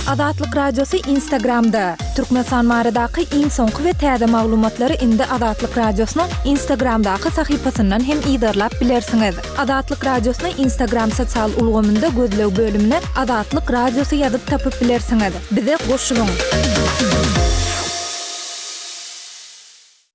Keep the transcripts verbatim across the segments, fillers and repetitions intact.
Azatlyk Radiosy Instagramda! Türkmenistan baradaky iň soňky we täze maglumatlary indi Azatlyk Radiosynyň Instagramdaky sahypasyndan hem yzarlap bilersiňiz. Azatlyk Radiosyny Instagram sosial ulgamynda gözleg bölümine Azatlyk Radiosy ýazyp tapyp bilersiňiz. Bize goşulyň!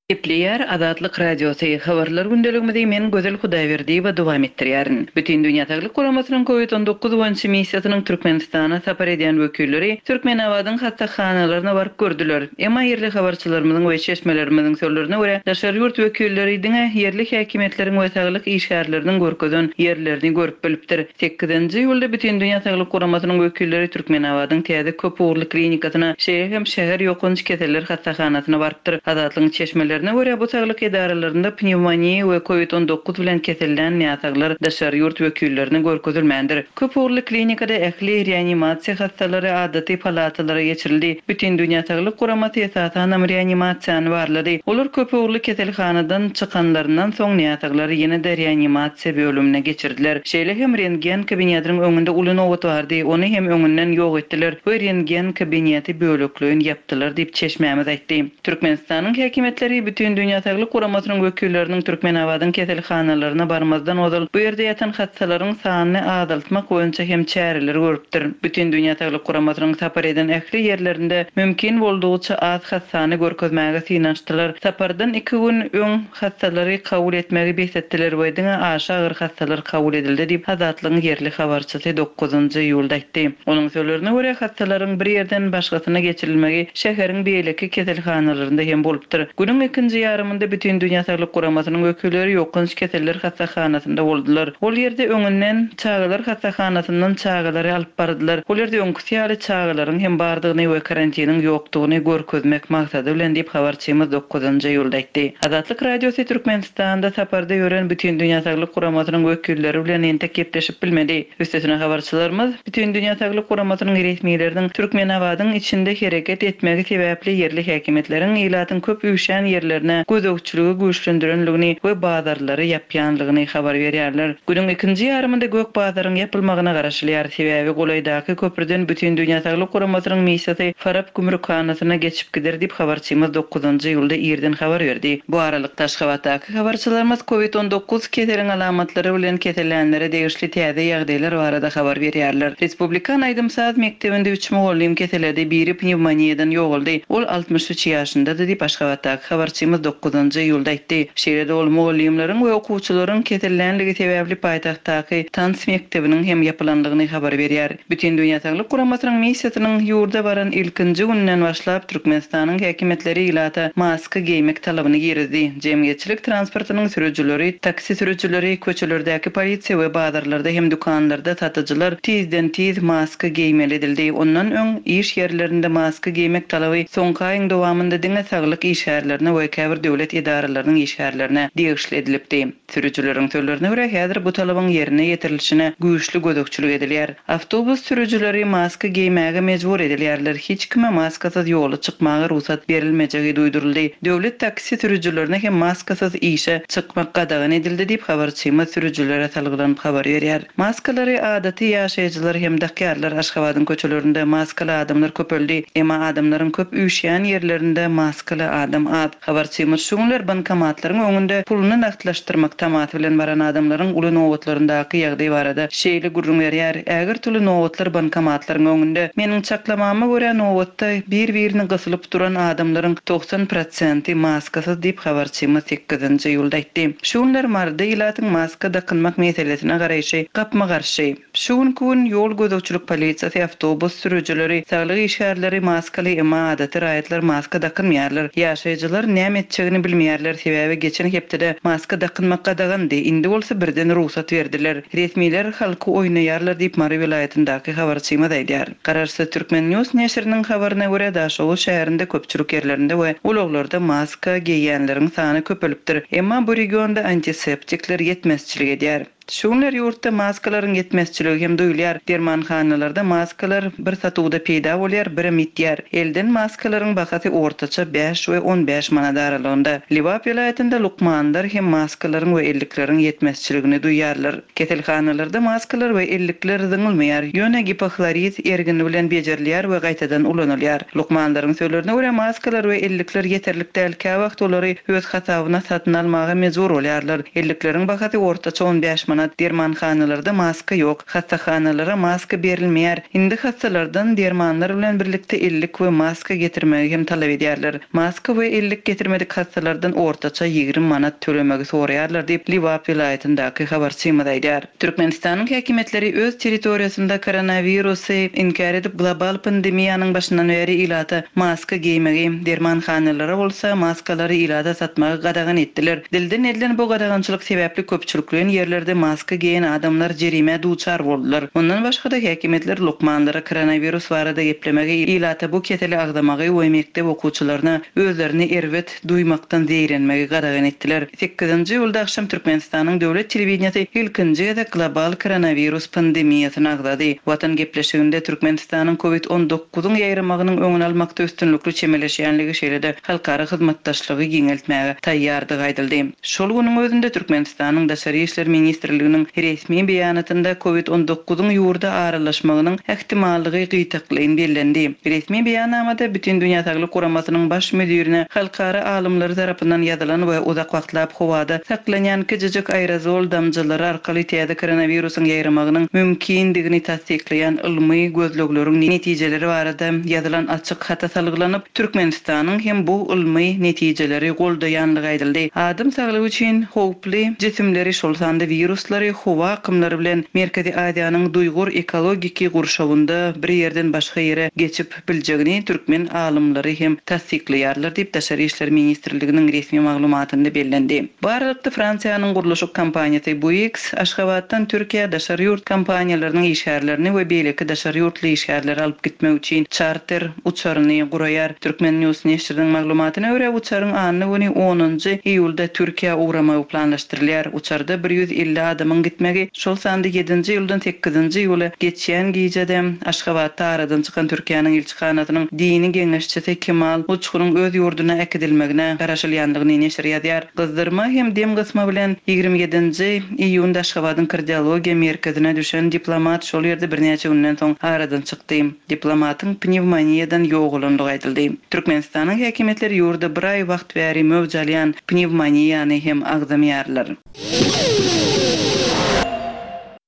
Gepleýär Azatlyk Radiosy, Habarlar gündeligimizi men Gözel Hudaýberdiýewa dowam etdirýärin. Bütindünýä Saglyk Guramasynyň Covid on dokuz boýunça missiýasynyň Türkmenistana sapar edýän wekilleri Türkmenabadyň hassahanalaryna baryp gördüler. Emma ýerli habarçylarymyzyň we çeşmelerimiziň sözlerine görä, daşary ýurt wekilleri diňe ýerli häkimiýetleriň we saglyk işgärleriniň görkezen ýerlerini görüp bilipdir. Sekizinji iýulda Bütindünýä Saglyk Guramasynyň wekilleri Türkmenabadyň täze köp ugurly klinikasyna, şeýle hem şäher ýokanç keseller hassahanasyna barypdyr. Azatlygyň çeşmelerine görä, bu saglyk edaralarynda pnewmoniýa we Covid on dokuz bilen kesellän näsaglar daşary ýurt wekillerine görkezilmändir. Köp ugurly klinikada ähli reanimasiýa hassalary adaty palatalara geçirildi. Bütindünýä Saglyk Guramasy esasanam reanimasiýany barlady. Olar köp ugurly keselhanadan çykanlaryndan soň näsaglary ýene-de reanimasiýa bölümine geçirdiler. Şeýle hem rentgen kabinetiniň öňünde uly nobat bardy, ony hem öňünden ýok etdiler we rentgen kabineti bölekleýin ýapdylar diýip çeşmämiz aýtdy. Türkmenistanyň häkimiýetleri Bütindünýä Saglyk Guramasynyň wekilleriniň Türkmenabadyň keselhanalaryna barmazdan ozal bu ýerde ýatan hassalaryň sanyny azaltmak boýunça hem çäreler görüpdir. Bütindünýä Saglyk Guramasynyň sapar eden ähli ýerlerinde mümkin boldugyça az hassany görkezmäge synanyşdylar. Sapardan iki gün öň hassalary kabul etmegi bes etdiler we diňe aşa agyr hassalar kabul edildi diýip Azatlygyň ýerli habarçysy dokuzynjy iýulda aýtdy. Onuň sözlerine görä, hassalaryň bir ýerden başgasyna geçirilmegi şäheriň beýleki keselhanalarynda hem bolupdyr. Günüň ikinji ýarymynda Bütindünýä Saglyk Guramasynyň wekilleri ýokanç keseller hassahanasynda boldular. Ol ýerde öňünden çagalar hassahanasyndan çagalary alyp bardylar. Ol ýerde öňküsi ýaly çagalaryň hem bardygyny we karantiniň ýokdugyny görkezmek maksady bilen diýip habarçymyz dokuzynjy iýulda aýtdy. Azatlyk Radiosy Türkmenistanda saparda ýören Bütindünýä Saglyk Guramasynyň wekilleri bilen entek gepleşip bilmedi. Üstesine habarçylarymyz Bütindünýä Saglyk Guramasynyň resmileriniň Türkmenabadyň içinde hereket etmegi sebäpli ýerli häkimiýetleriň ilatyň köp üýşen ýerlerine gözegçiligi güýçlendirenligini we bazarlary ýapýanlygyny habar berýärler. Günüň ikinji ýarymynda gök bazaryň ýapylmagyna garaşylýar. Sebäbi golaýdaky köprüden Bütindünýä Saglyk Guramasynyň missiýasy Farap gümrükhanasyna geçip gider diýip habarçymyz dokuzynjy iýulda irden habar berdi. Bu aralykda Aşgabatdaky habarçylarymyz Covid on dokuz keseliň alamatlary bilen kesellänlere degişli täze ýagdaýlar barada habar berýärler. Respublikan aýdym-saz mekdebinde üç mugallym keseledi, biri pnewmoniýadan ýogaldy. Ol altmyş üç ýaşyndady diýip Aşgabatdaky habarçymyz dokuzynjy iýulda aýtdy. Şeýle-de ol mugallymlaryň we okuwçylaryň kesellänligi sebäpli paýtagtdaky tans mekdebiniň hem ýapylanlygyny habar berýär. Bütindünýä Saglyk Guramasynyň missiýasynyň ýurda baran ilkinji günden başlap Türkmenistanyň häkimiýetleri ilata maska geýmek talabyny girizdi. Jemgyýetçilik transportynyň sürüjileri, taksi sürüjileri, köçelerdäki polisiýa we bazarlarda hem dükanlarda satyjylar tizden tiz maska geýmeli edildi. Ondan öň iş ýerlerinde maska geýmek talaby soňky aýyň dowamynda diňe saglyk işgärlerine we käbir döwlet edaralarynyň işgärlerine degişli edilipdi. Sürüjileriň sözlerine görä, häzir bu talabyň ýerine ýetirilişine güýçli gözegçilik edilýär. Awtobus sürüjileri maska geýmäge mejbur edilýärler. Hiç kime maskasyz ýola çykmaga rugsat berilmejegi duýduryldy. Döwlet taksi sürüjilerine hem maskasyz işe çykmak gadagan edildi diýip habarçymyz sürüjilere salgylanyp habar berýär. Maskalary adaty ýaşaýjylar hem dakýarlar. Aşgabadyň köçelerinde maskaly adamlar köpeldi. Emma adamlaryň köp üýşýän ýerlerinde maskaly adam az. Habarçymyz şu günler bankomatlaryň öňünde puluny nagtlaşdyrmak tamasy bilen baran adamlaryň uly nobatlaryndaky ýagdaý barada şeýle gürrüň berýär. Ägir tulu nobatlar bankomatlaryň öňünde. Meniň çaklamama görä nobatda bir-birini gysylyp duran adamlaryň togsan prosenti maskasyz diýip habarçymyz sekizinji iýulda aýtdy. Şu günler Maryda ilatyň maska dakynmak meselesine garaýşy gapma-garşy. Şu günkü gün ýol gözegçilik polisiýasy, awtobus sürüjileri, saglyk işgärleri maskaly, emma adaty raýatlar maska dakynmaýarlar. Ýaşaýjylar näme etjegini bilmeýärler, sebäbi geçen hepdede maska dakynmak gadagandy. Indi bolsa birden rugsat berdiler. Resmiler halky oýnaýarlar diýip Mary welaýatyndaky habarçymyz aýdýar. Garaşsyz Türkmen News neşiriniň habaryna görä Daşoguz şäherinde köpçülik ýerlerinde we ulaglarda maska geýýänleriň sany köpelipdir. Emma bu regionda antiseptikler ýetmezçilik edýär. Şu günler ýurtda maskalaryň ýetmezçiligi hem duýulýar. Dermanhanalarda maskalar bir satuwda peýda bolýar, birem ýitýär. Elden maskalaryň bahasy ortaça bäş we on bäş manat aralygynda. Lebap welaýatynda lukmanlar hem maskalaryň we ellikleriň ýetmezçiligini duýýarlar. Keselhanalarda maskalar we ellikler zyňylmaýar, ýöne gipohlorid ergini bilen bejerilýär we gaýtadan ulanylýar. Lukmanlaryň sözlerine görä, maskalar we ellikler ýeterlik däl, käwagt olary öz hasabyna satyn almaga mejbur bolýarlar. Ellikleriň bahasy ortaça on bäş manat. Dermanhanalarda maska ýok, hassahanalara maska berilmeýär. Indi hassalardan dermanlar bilen birlikde ellik we maska getirmegi hem talap edýärler. Maska we ellik getirmedik hassalardan ortaça ýigrimi manat tölemegi soraýarlar diýip, Lebap welaýatyndaky habarçymyz aýdýar. Türkmenistanyň häkimiýetleri öz territoriýasynda koronawirusy inkär edip, global pandemiýanyň başyndan bäri ilata maska geýmegi, dermanhanalara bolsa maskalary ilata satmagy gadagan etdiler. Dilden edilen bu gadagançylyk sebäpli köpçülikleýin ýerlerde maska geýen adamlar jerimä duçar boldular. Ondan başga-da häkimiýetler lukmanlara koronawirus barada geplemegi, ilata bu keseli agzamagy we mekdep okuwçylaryna özlerini erbet duýmakdan zeýrenmegi gadagan etdiler. Sekizinji iýulda agşam Türkmenistanyň döwlet telewideniýesi ilkinji gezek global koronawirus pandemiýasyny agzady. Watan gepleşiginde Türkmenistanyň COVID on dokuzyň ýaýramagynyň öňüni almakda üstünlikli çemeleşýänligi, şeýle-de halkara hyzmatdaşlygy giňeltmäge taýýardygy aýdyldy. Şol günüň özünde Türkmenistanyň Daşary işler ministrliginiň resmi beýanatynda COVID on dokuzyň ýurda aralaşmagynyň ähtimallygy gytaklaýyn bellendi. Resmi beýannamada Bütindünýä Saglyk Guramasynyň baş müdirine halkara alymlary tarapyndan ýazylan we uzak wagtlap howada saklanýan kiçijik aerozol damjalary arkaly täze koronawirusyň ýaýramagynyň mümkindigini tassyklaýan ylmy gözlegleriň netijeleri barada ýazylan açyk hata salgylanyp, Türkmenistanyň hem bu ylmy netijeleri goldaýanlygy aýdyldy. Adam saglygy üçin howply jisimleri, şol sanda wiruslary howa akymlary bilen Merkezi Aziýanyň duýgur ekologiki gurşawynda bir ýerden başga ýere geçip biljegini türkmen alymlary hem tassyklaýarlar diýip Daşary işler ministrliginiň resmi maglumatynda bellendi. Bu aralykda Fransiýanyň gurluşyk kompaniýasy Bouygues Aşgabatdan Türkiýä daşary ýurt kompaniýalarynyň işgärlerini we beýleki daşary ýurtly işgärleri alyp gitmek üçin çarter uçaryny guraýar. Türkmen News neşiriniň maglumatyna görä, uçaryň anna güni onunjy iýulda Türkiýä ugramagy planlaşdyrylýar. Uçarda bir ýüz elli adamyň gitmegi, şol sanda ýedinji iýuldan sekizinji iýula geçýän gijede Aşgabatda aradan çykan Türkiýäniň ilçihanasynyň dini geňeşçisi Kemal Uçkunyň öz ýurduna äkidilmegine garaşylýanlygyny neşir ýazýar. Gyzdyrma hem dem gysma bilen ýigrimi ýedinji iýunda Aşgabadyň kardiologiýa merkezine düşen diplomat şol ýerde birnäçe günden soň aradan çykdy. Diplomatyň pnewmoniýadan ýogalanlygy aýdyldy. Türkmenistanyň häkimiýetleri ýurda bir aý wagt bäri möwç alýan pnewmoniýany hem agzamaýarlar.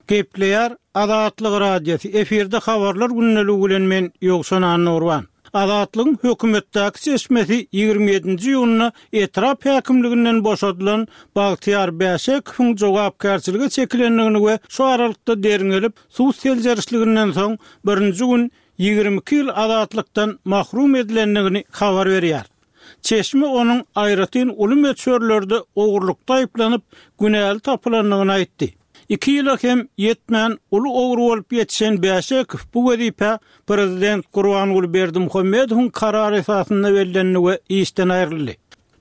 Gepleýär Azatlyk Radiosy. Efirde habarlar gündeligi bilen men Ýowşan Annurban. Azatlygyň hökümetdäki çeşmesi ýigrimi ýedinji iýunda etrap häkimliginden boşadylan Bagtyýar Bäşekowyň jogapkärçilige çekilendigini we şu aralykda derňelip suw seljerişliginden soň birinji gün ýigrimi iki ýyl azatlykdan mahrum edilendigini habar berýär. Çeşme onuň aýratyn uly möçberlerde ogurlukda aýyplanyp günäli tapylandygyny aýtdy. Iki ýyla hem ýetmän uly ogry bolup ýetişen Bäşekow bu wezipe Prezident Gurbanguly Berdimuhamedowyň karary esasynda bellendi we işden aýryldy.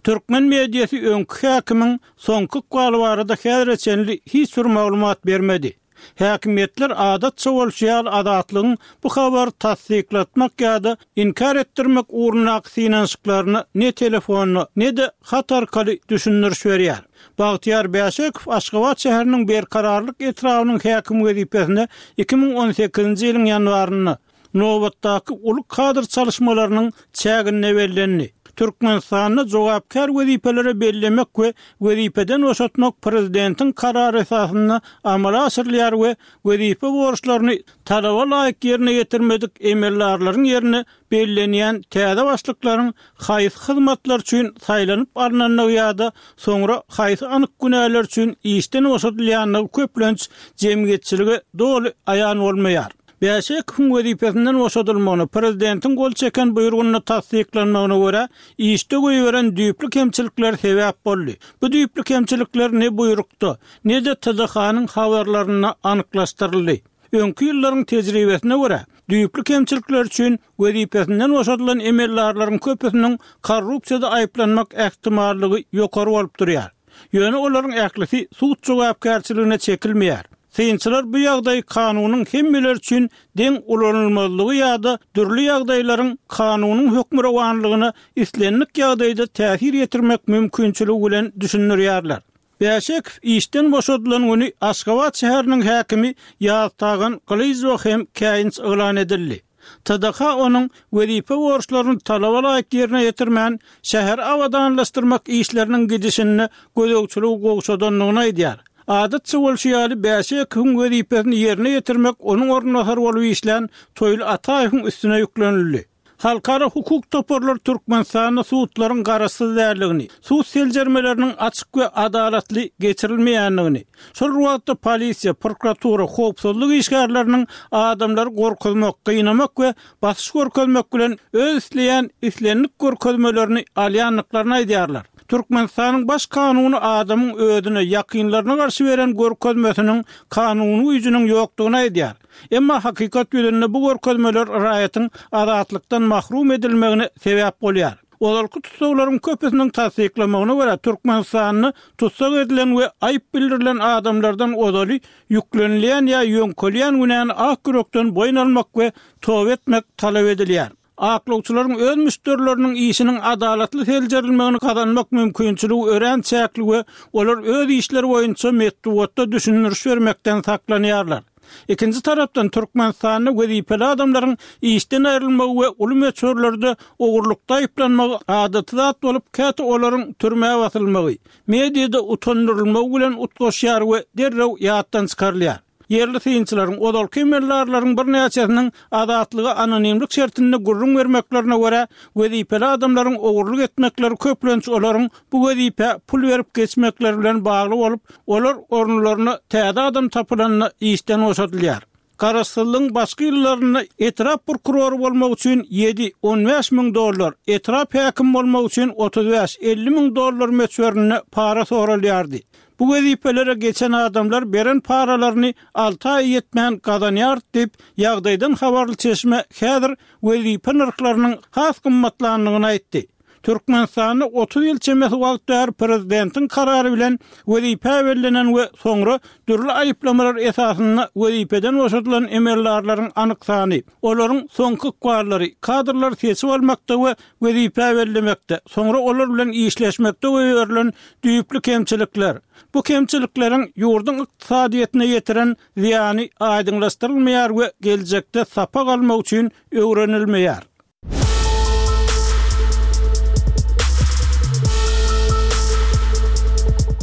Türkmen mediasy öňki häkimiň soňky ykbaly barada häzire çenli hiç bir maglumat bermedi. Häkimiýetler adatça bolşy ýaly azatlygyň bu habary tassyklatmak ýa-da inkär etdirmek ugrundaky synanyşyklaryna ne telefonla ne-de hat arkaly düşündiriş berýär. Bagtyýar Bäşekow Aşgabat şäheriniň Berkararlyk etrabynyň häkim wezipesine iki müň on sekizinji ýylyň ýanwarynda nobatdaky uly kadr çalışmalarynyň çäginde bellendi. Türkmenistanda jogapkär wezipelere bellemek we wezipeden boşatmak prezidentiň karary esasynda amala aşyrylýar we wezipe borçlaryny talaba laýyk ýerine ýetirmedik emeldarlaryň ýerine bellenýän täze başlyklaryň haýsy hyzmatlar üçin saýlanyp alnandygy ýa-da soňra haýsy anyk günäler üçin işden boşadylýandygy köplenç jemgyýetçilige doly aýan bolmaýar. Bäşekowyň wezipesinden boşadylmagyny prezidentiň gol çeken buýrugyny tassyklanmagyna görä işde goýberen düýpli kemçilikler sebäp boldy. Bu düýpli kemçilikler ne buýrukda, ne-de T D H-nyň habarlarynda anyklaşdyryldy. Öňki ýyllaryň tejribesine görä, düýpli kemçilikler üçin wezipesinden boşadylan emeldarlaryň köpüsiniň korrupsiýada aýyplanmak ähtimallygy ýokary bolup durýar. Ýöne olaryň ählisi sud jogapkärçiligine çekilmeýär. Synçylar bu ýagdaýy kanunyň hemmeler üçin deň ulanylmazlygy ýa-da dürli ýagdaýlaryň kanunyň hökmürowanlygyna islendik ýagdaýda täsir ýetirmek mümkinçiligi bilen düşündirýärler. Bäşekow işden boşadylan güni Aşgabat şäheriniň häkimi Ýaztagan Gylyjowa hem käýinç yglan edildi. T D H onuň wezipe borçlaryny talaba laýyk ýerine ýetirmän, şäheri abadanlaşdyrmak işleriniň gidişinde gözegçiligi gowşadandygyny aýdýar. Adatça bolşy ýaly Bäşekowyň wezipesini ýerine ýetirmek onuň orunbasary bolup işlän Toýly Ataýewiň üstüne ýüklenildi. Halkara hukuk toparlary Türkmenistanda sudlaryň garaşsyz däldigini, sud seljermeleriniň açyk we adalatly geçirilmeýändigini, şol wagtda polisiýa, prokuratura, howpsuzlyk işgärleriniň adamlary gorkuzmak, gynamak we basyş görkezmek bilen öz isleýän islendik görkezmelerini alýandyklaryny aýdýarlar. Türkmenistanyň baş kanuny adamyň özüne ýakynlaryna garşy beren görkezmesiniň kanuny güýjüniň ýokdugyny aýdýar. Emma hakykat ýüzünde bu görkezmeler raýatyň azatlykdan mahrum edilmegine sebäp bolýar. Ozalky tussaglaryň köpüsiniň tassyklamagyna görä Türkmenistanda tussag edilen we aýyp bildirilen adamlardan ozaly ýüklenilýän ýa ýöňkelýän günäni ak ýürekden boýun almak we toba etmek talap edilýär. Aklawçylaryň öz müşderileriniň işiniň adalatly seljerilmegini gazanmak mümkinçiligi örän çäkli we olar öz işleri boýunça metbugatda düşündiriş bermekden saklanýarlar. Ikinji tarapdan Türkmenistanda wezipeli adamlaryň işden aýrylmagy we uly möçberlerde ogurlykda aýyplanmagy adaty zat bolup, käte olaryň türmä basylmagy, mediada utandyrylmagy bilen utgaşýar we derrew ýatdan çykarylýar. Ýerli synçylaryň ozalky emeldarlaryň birnäçesiniň azatlyga anonimlik şertinde gürrüň bermeklerine görä, wezipeli adamlaryň ogurlyk etmekleri köplenç olaryň bu wezipä pul berip geçmekleri bilen bagly bolup, olar orunlaryna täze adam tapylanda işden boşadylýar. Garaşsyzlygyň başky ýyllarynda etrap prokurory bolmak üçin ýedi on bäş müň dollar, etrap häkim bolmak üçin otuz bäş elli müň dollar möçberinde para soralýardy. Bu wezipelere geçen adamlar beren paralaryny alty aý ýetmän gazanýar diýip, ýagdaýdan habarly çeşme häzir wezipe nyrhlarynyň has gymmatlandygyny aýtdy. Türkmenistanda otuz ýyl çemesi wagt bäri prezidentiň karary bilen wezipä bellenen we soňra dürli aýyplamalar esasynda wezipeden boşadylan emeldarlaryň anyk sany, olaryň soňky ykballary, kadrlar seçip almakda we wezipä bellemekde, soňra olar bilen işleşmekde goýberilen düýpli kemçilikler. Bu kemçilikleriň ýurduň ykdysadyýetine ýetiren zyýany aýdyňlaşdyrylmaýar we geljekde sapak almak üçin öwrenilmeýär.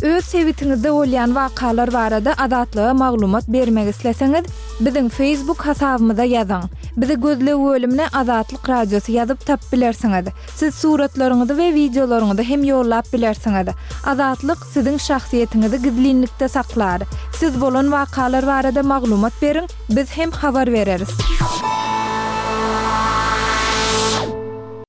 Öz sebitiňizde bolýan wakalar barada Azatlyga maglumat bermek isleseňiz, biziň Facebook hasabymyza ýazyň. Bizi gözleg bölümine Azatlyk Radiosy ýazyp tap bilersiňiz. Siz suratlaryňyzy we wideolaryňyzy hem ýollap bilersiňiz. Azatlyk siziň şahsyýetiňizi gizlinlikde saklar. Siz bolan wakalar barada maglumat beriň, biz hem habar bereris.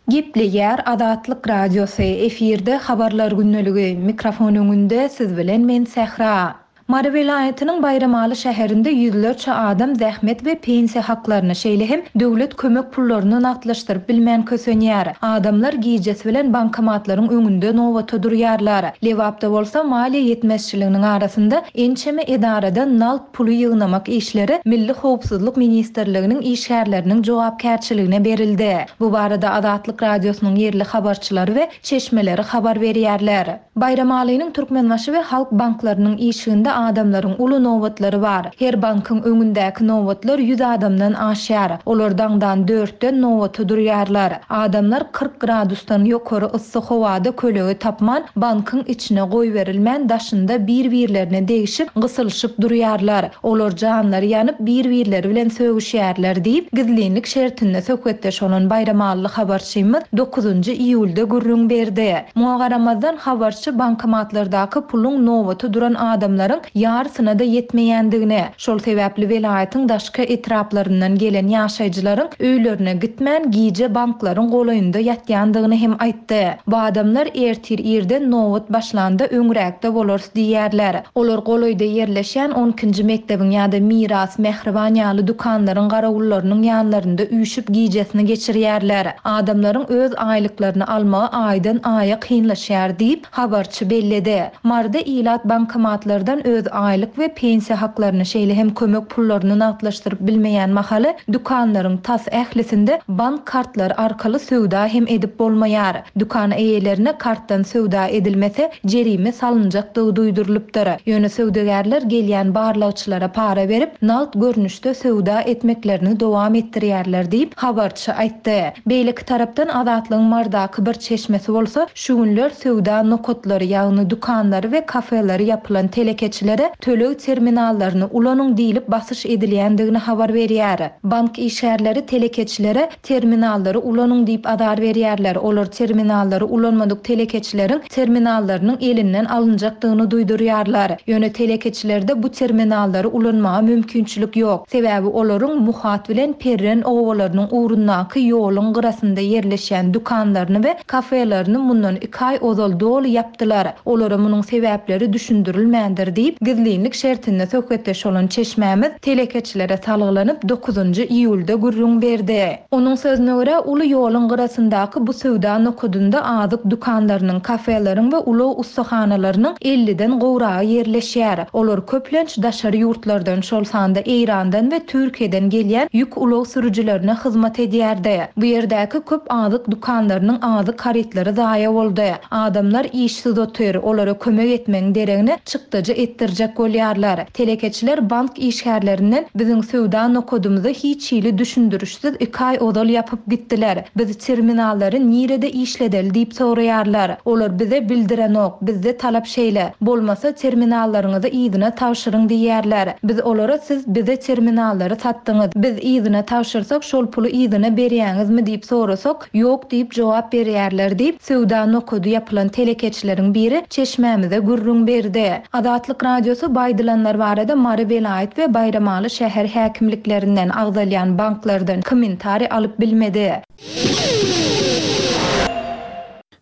Gepleýär Azatlyk Radiosy, efirde habarlar gündeligi, mikrofon öňünde siz bilen men Sähra. Mary welaýatynyň Baýramaly şäherinde ýüzlerçe adam zähmet we pensiýa haklaryny, şeýle hem döwlet kömek pullaryny nagtlaşdyryp bilmän kösenýär. Adamlar gijesi bilen bankomatlaryň öňünde nobata durýarlar. Lebapda bolsa maliýe ýetmezçiliginiň arasynda ençeme edarada nagt puly ýygnamak işleri Milli Howpsuzlyk Ministrliginiň işgärleriniň jogapkärçiligine berildi. Bu barada Azatlyk Radiosynyň ýerli habarçylary we çeşmeleri habar berýärler. Baýramalynyň Türkmenbaşy we Halk banklarynyň işiginde adamlaryň uly nobatlary bar. Her bankyň öňündäki nobatlar ýüz adamdan aşýar. Olar daňdan dörtden nobata durýarlar. Adamlar kyrk gradusdan ýokary yssy howada kölege tapman, bankyň içine goýberilmän daşynda bir-birlerine degişip, gysylyşyp durýarlar. Olar janlary ýanyp bir-birleri bilen sögüşýärler diýip, gizlinlik şertinde söhbetdeş bolan Baýramaly habarçymyz dokuzynjy iýulda gürrüň berdi. Muňa garamazdan habarçy bankomatlardaky puluň nobata duran adamlaryň ýarysyna-da ýetmeýändigini, şol sebäpli welaýatyň daşky etraplaryndan gelen ýaşaýjylaryň öýlerine gitmän, gije banklaryň golaýynda ýatýandygyny hem aýtdy. Bu adamlar ertir irden nobat başlanda öňräkde bolarys diýýärler. Olar golaýda ýerleşýän on ikinji mekdebiň ýa-da Miras, Mähriban ýaly dükanlaryň garawullarynyň ýanlarynda üýşüp gijesini geçirýärler. Adamlaryň öz aýlyklaryny almagy aýdan aýa kynlaşýar diýip, habarçy belledi. Maryda ilat bankomatlardan öz aýlyk we pensiýa haklaryny, şeýle hem kömek pullaryny nagtlaşdyryp bilmeýän mahaly dükanlaryň tas ählisinde bank kartlary arkaly söwda hem edip bolmaýar. Dükan eýelerine kartdan söwda edilmese jerime salynjakdygy duýdurylypdyr. Ýöne söwdagärler gelýän barlagçylara para berip, nagt görnüşde söwda etmeklerini dowam etdirýärler diýip, habarçy aýtdy. Beýleki tarapdan Azatlygyň Marydaky bir çeşmesi bolsa, şu günler söwda nokatlary, ýagny dükanlary we kafeleri ýapylan telekeçilere töleg terminallaryny ulanyň diýlip basyş edilýändigini habar berýär. Bank işgärleri telekeçilere terminallary ulanyň diýip azar berýärler. Olar terminallary ulanmadyk telekeçileriň terminallarynyň elinden alynjakdygyny duýdurýarlar. Ýöne telekeçilerde bu terminallary ulanmaga mümkinçilik ýok. Sebäbi olaryň Muhat bilen Perren owalarynyň ugrundaky ýoluň gyrasynda ýerleşen dükanlaryny we kafelerini mundan iki aý ozal doly ýapdylar. Olara munuň sebäpleri düşündirilmändir diýip, gizlinlik şertinde söhbetdeş bolan çeşmämiz telekeçilere salgylanyp dokuzynjy iýulda gürrüň berdi. Onuň sözüne görä, uly ýoluň gyrasyndaky bu söwda nokadynda azyk dükanlarynyň, kafeleriň we ulag ussahanalarynyň elliden gowragy ýerleşýär. Olar köplenç daşary ýurtlardan, şol sanda Eýrandan we Türkiýeden gelýän ýük ulag sürüjilerine hyzmat edýärdi. Bu ýerdäki köp azyk dükanlarynyň azyk harytlary zaýa boldy. Adamlar işsiz otyr, olara kömek etmegiň deregine çykdajy etdirjek bolýarlar. Telekeçiler bank işgärlerinden biziň söwda nokadymyzy hiç hili düşündirişsiz iki aý ozal ýapyp gitdiler. Biz terminallary nirede işledeli diýip soraýarlar. Olar bize bildirenok, bizde talap şeýle. Bolmasa terminallaryňyzy yzyna tabşyryň diýýärler. Biz olara siz bize terminallary satdyňyz. Biz yzyna tabşyrsak şol puly yzyna berýäňizmi diýip sorasak, ýok diýip jogap berýärler diýip, söwda nokady ýapylan telekeçileriň biri çeşmämize gürrüň berdi. Azatlyk Radiosy baýdylanlar barada Mary welaýat we Baýramaly şäher häkimliklerinden agzalýan banklardan kommentariý alyp bilmedi.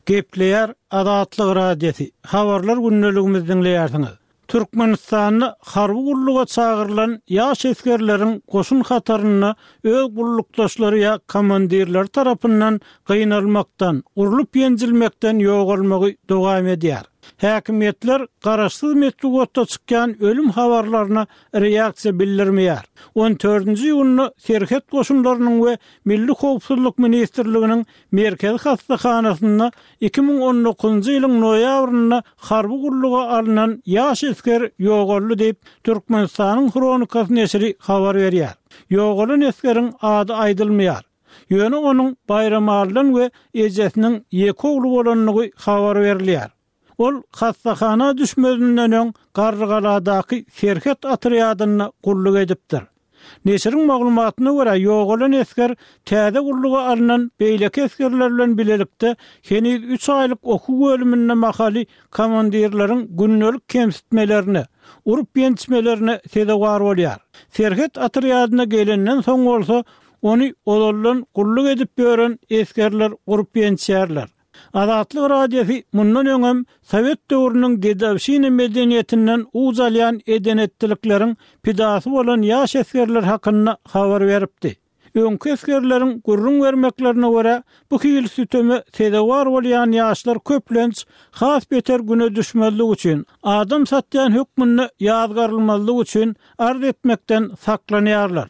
Gepleýär Azatlyk Radiosy. Habarlar gündeligimizi diňleýärsiňiz. Türkmenistanda harby gulluga çagyrylan ýaş esgerleriň goşun hatarynda öz gullukdaşlary ýa komandirleri tarapyndan gynalmakdan, urlup ýenjilmekden ýogalmagy dowam edýär. Häkimiýetler garaşsyz metbugatda çykýan ölüm habarlaryna reaksiýa bildirmeýär. On dördünji iýunda Serhet goşunlarynyň we Milli Howpsuzlyk Ministrliginiň Merkezi hastahanasynda iki müň on dokuzynjy ýylyň noýabrynda harby gulluga alnan ýaş esger ýogaldy diýip, Türkmenistanyň Hronikasy neşiri habar berýär. Ýogalan esgeriň ady aýdylmaýar. Ýöne onuň Baýramalydan we ejesiniň ýeke ogly bolandygy habar berilýär. Ol hastahana düşmezinden öň Garrygaladaky Serhet otrýadynda gulluk edipdir. Neşiriň maglumatyna görä, ýogalan esger täze gulluga alnan beýleki esgerler bilen bilelikde heniz üç aýlyk okuw bölüminde mahaly komandirleriň gündelik kemsitmelerine, urup ýençmelerine sezewar bolýar. Serhet otrýadyna gelenden soň bolsa, ony ozaldan gulluk edip ýören esgerler urup ýençýärler. Azatlyk Radiosy mundan öňem Sowet döwrüniň dedowşina medeniýetinden uç alýan edenetdilikleriň pidasy bolan ýaş esgerler hakynda habar beripdi. Öňki esgerleriň gürrüň bermeklerine görä, bu hil süteme sezewar bolýan ýaşlar köplenç has beter güne düşmezlik üçin, adam satýan hökmünde ýazgarylmazlyk üçin arz etmekden saklanýarlar.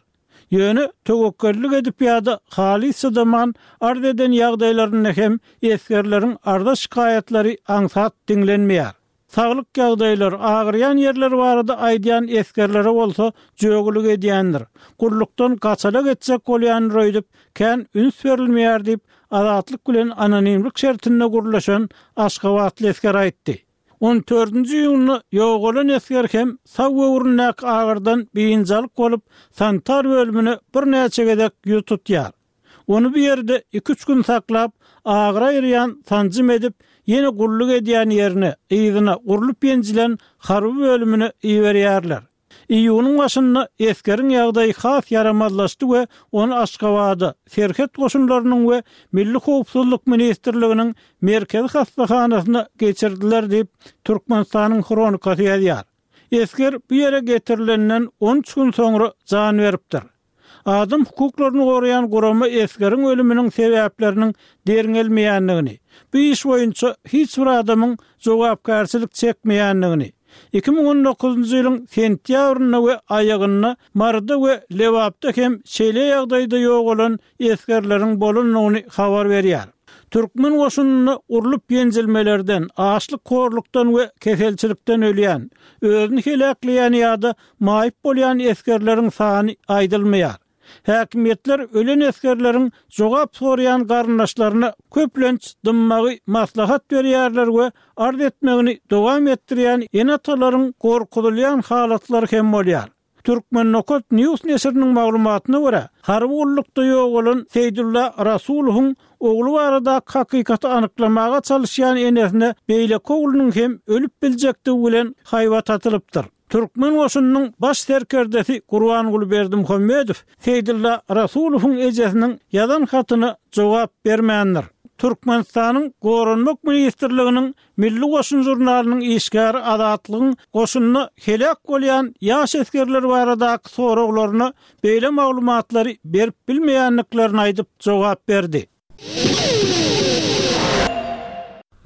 Ýöne töwekgellik edip ýa-da halys çydaman arz eden ýagdaýlarynda hem esgerleriň arza şikaýatlary aňsat diňlenmeýär. Saglyk ýagdaýlary agyrýan ýerler barada aýdýan esgerlere bolsa jögülik edýändir. Gullukdan gaçalak etjek bolýan öýdüp, kän üns berilmeýär diýip, Azatlyk bilen anonimlik şertinde gurlaşan Aşgabatly esger aýtdy. On dördünji iýunda ýogalan esger hem sag böwründäki agyrdan biynjalyk bolup, sanitar bölümine birnäçe gezek ýüz tutýar. Ony bir ýerde iki-üç gün saklap, agyr aýyrýan sanjym edip, ýene gulluk edýän ýerine, yzyna urlup-ýenjilen harby bölümine iberýärler. Iýunyň başynda esgeriň ýagdaýy has ýaramazlaşdy we ony Aşgabada, Serhet goşunlarynyň we Milli howpsuzlyk ministrliginiň merkezi hassahanasyna geçirdiler diýip, Türkmenistanyň Hronikasy ýazýar. Esger bu ýere getirilenden on üç gün soňra jan beripdir. Adam hukuklaryny goraýan gurama esgeriň ölüminiň sebäpleriniň derňelmeýändigini, bu iş boýunça hiç bir adamyň jogapkärçilik çekmeýändigini, iki müň on dokuzynjy ýylyň sentýabrynda we aýagynda Maryda we Lebapda hem şeýle ýagdaýda ýogalan esgerleriň bolandygyny habar berýär. Türkmen goşunynda urlup-ýenjilmelerden, açlyk-horlukdan we keselçilikden ölýän, özüni heläkleýän ýa-da maýyp bolýan esgerleriň sany aýdylmaýar. Häkimiýetler ölen esgerleriň jogap soraýan garyndaşlaryna köplenç dymmagy maslahat berýärler we arz etmegini dowam etdirýän ene-atalaryň gorkuzylýan halatlary hem bolýar. Türkmen Nokat News neşiriniň maglumatyna görä, harby gullukda ýogalan Seýdulla Rasulowyň ogly baradaky hakykaty anyklamaga çalyşýan enesine beýleki oglunyň hem ölüp biljekdigi bilen haýbat atylypdyr. Türkmen goşunynyň baş serkerdesi Gurbanguly Berdimuhamedow Seýdulla Rasulowyň ejesiniň ýazan hatyna jogap bermändir. Türkmenistanyň Goranmak ministrliginiň Milli goşun žurnalynyň işgäri Azatlygyň goşunda heläk bolýan ýaş esgerler baradaky soraglaryna beýle maglumatlary berip bilmeýändiklerini aýdyp jogap berdi.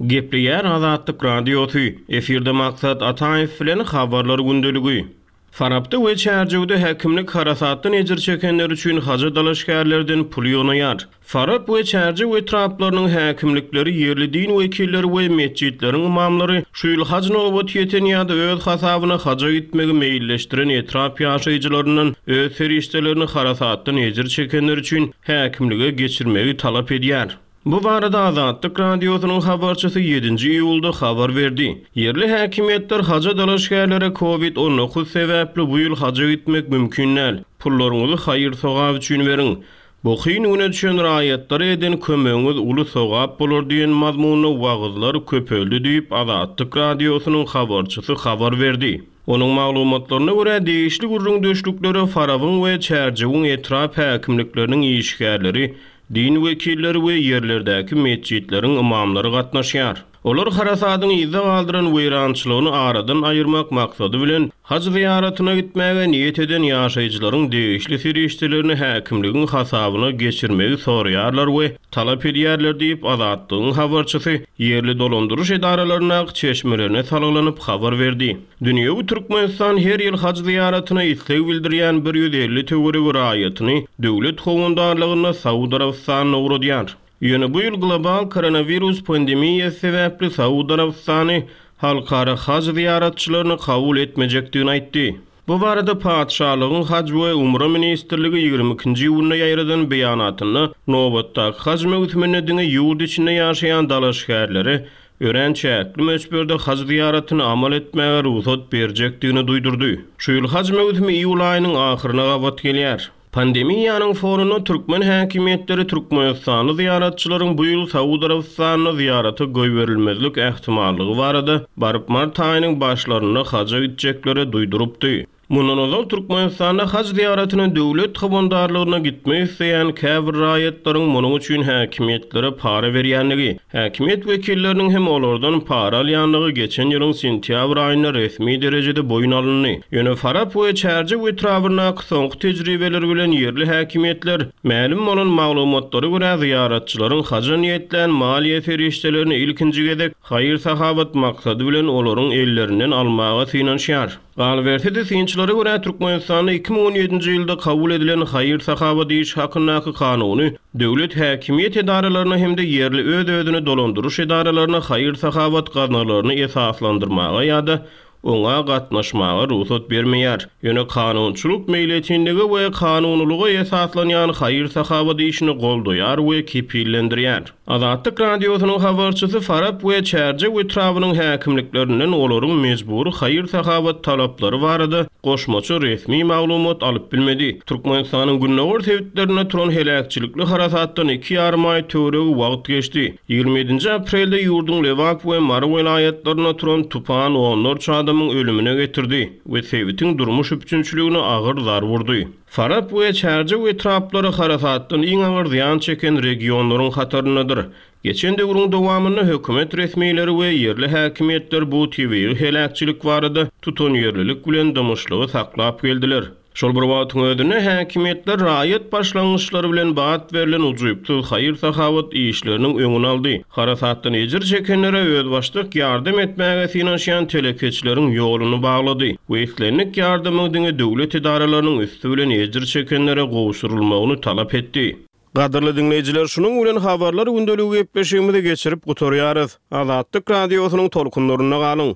Gepleýär Azatlyk Radiosy, efirde Maksat Ataýew bilen Habarlar gündeligi. Farapda we Çärjewde häkimlik harasatdan ejir çekenler üçin haja dalaşgärlerden pul ýygnaýar. Farap we Çärjew etraplarynyň häkimlikleri, ýerli din wekilleri we metjitleriň imamlary şu ýyl haj nobaty ýeten ýa-da öz hasabyna haja gitmegi meýilleşdiren etrap ýaşaýjylaryndan öz serişdelerini harasatdan ejir çekenler üçin häkimlige geçirmegi talap edýär. Bu barada Azatlyk Radiosynyň habarçysy ýedinji iýulda habar berdi. Ýerli häkimiýetler haja dalaşgärlere COVID on dokuz sebäpli bu ýyl haja gitmek mümkin däl. Pullaryňyzy haýyr-sogap üçin beriň. Bu kyn güne düşen raýatlara eden kömegiňiz uly sogap bolar diýen mazmunda wagyzlar köpeldi diýip Azatlyk Radiosynyň habarçysy habar berdi. Onuň maglumatlaryna görä degişli gürrüňdeşliklere Farabyň we Çärjewiň etrap häkimlikleriniň işgärleri, din wekilleri we ýerlerdäki metjitleriň imamlary gatnaşýar. Olar harasadyň yzda galdyran weýrançylygyny aradan aýyrmak maksady bilen haj zyýaratyna gitmäge niýet eden ýaşaýjylaryň degişli serişdelerini häkimligiň hasabyna geçirmegi soraýarlar we talap edýärler diýip Azatlygyň habarçysy ýerli dolandyryş edaralaryndaky çeşmelerine salgylanyp habar berdi. Dünýewi Türkmenistan her ýyl haj zyýaratyna isleg bildirýän bir ýüz elli töweregi raýatyny döwlet howandarlygynda Saud Arabystanyna ugradýar. Ýöne bu ýyl global koronawirus pandemiýasy sebäpli Saud Arabystany halkara haj zyýaratçylaryny kabul etmejekdigini aýtdy. Bu barada Patyşalygyň Haj we Umra ministrligi ýigrimi ikinji iýunda ýaýradan beýanatynda nobatdaky haj möwsüminde diňe ýurt içinde ýaşaýan dalaşgärlere örän çäkli möçberde haj zyýaratyny amal etmäge rugsat berjekdigini duýdurdy. Şu ýyl haj möwsümi iýul aýynyň ahyryna gabat gelýär. Pandemiýanyň fonunda türkmen häkimiýetleri Türkmenistanly zyýaratçylaryň bu ýyl Saud Arabystanyna zyýarata goýberilmezlik ähtimallygy barada baryp mart aýynyň başlarynda haja gitjeklere duýdurypdy. Mundan ozal Türkmenistanda haj zyýaratyna döwlet howandarlygyna gitmek isleýän käbir raýatlaryň munuň üçin häkimiýetlere para berýändigi, häkimiýet wekilleriniň hem olardan para alýandygy geçen ýylyň sentýabr aýynda resmi derejede boýun alyndy. Ýöne Farap we Çärjew etrabyndaky soňky tejribeler bilen ýerli häkimiýetler mälim bolan maglumatlara görä zyýaratçylaryň haja niýetlän maliýe serişdelerini ilkinji gezek haýyr-sahabat maksady bilen olaryň ellerinden almaga synanyşýar. Galyberse-de synçylara görä Türkmenistanda iki müň on ýedinji ýylda kabul edilen haýyr-sahabat iş hakyndaky kanuny döwlet häkimiýet edaralaryna hem-de ýerli öz-özüni dolandyryş edaralaryna haýyr-sahabat gaznalaryny esaslandyrmaga ýa-da oňa gatnaşmaga rugsat bermeýär. Ýöne kanunçylyk meýletinligi we kanunylyga esaslanýan haýyr-sahabat işini goldaýar we kepillendirýär. Azatlyk Radiosynyň habarçysy Farap we Çärjew etrabynyň häkimliklerinden olaryň mejbury haýyr-sahawat talaplary barada goşmaça resmi maglumat alyp bilmedi. Türkmenistanyň gündogar sebitlerinde turan heläkçilikli harasatdan iki ýarym aý töweregi wagt geçdi. Ýigrimi ýedinji aprelde ýurduň Lebap we Mary welaýatlarynda turan tupan onlarça adamyň ölümine getirdi we sebitiň durmuş üpjünçiligine agyr zarba urdy. Farap we Çärjew etraplary harasatdan iň agyr zyýan çeken regionlaryň hataryndadyr. Geçen döwrüň dowamynda hökümet resmileri we ýerli häkimiýetler bu tebigy heläkçilik barada tutanýerlilik bilen dymyşlygy saklap geldiler. Şol bir wagtyň özünde häkimiýetler raýat başlangyçlary bilen bat berlen ujypsyz haýyr-sahawat işleriniň öňüni aldy. Harasatdan ejir çekenlere özbaşdak ýardam etmäge synanyşýan telekeçileriň ýoluny baglady we islendik ýardamyň diňe döwlet edaralarynyň üsti bilen ejir çekenlere gowşurylmagyny talap etdi. Gadyrly diňleýjiler, şunuň bilen habarlar gündeligi gepleşigimizi geçirip gutarýarys. Azatlyk Radiosynyň tolkunlarynda galyň.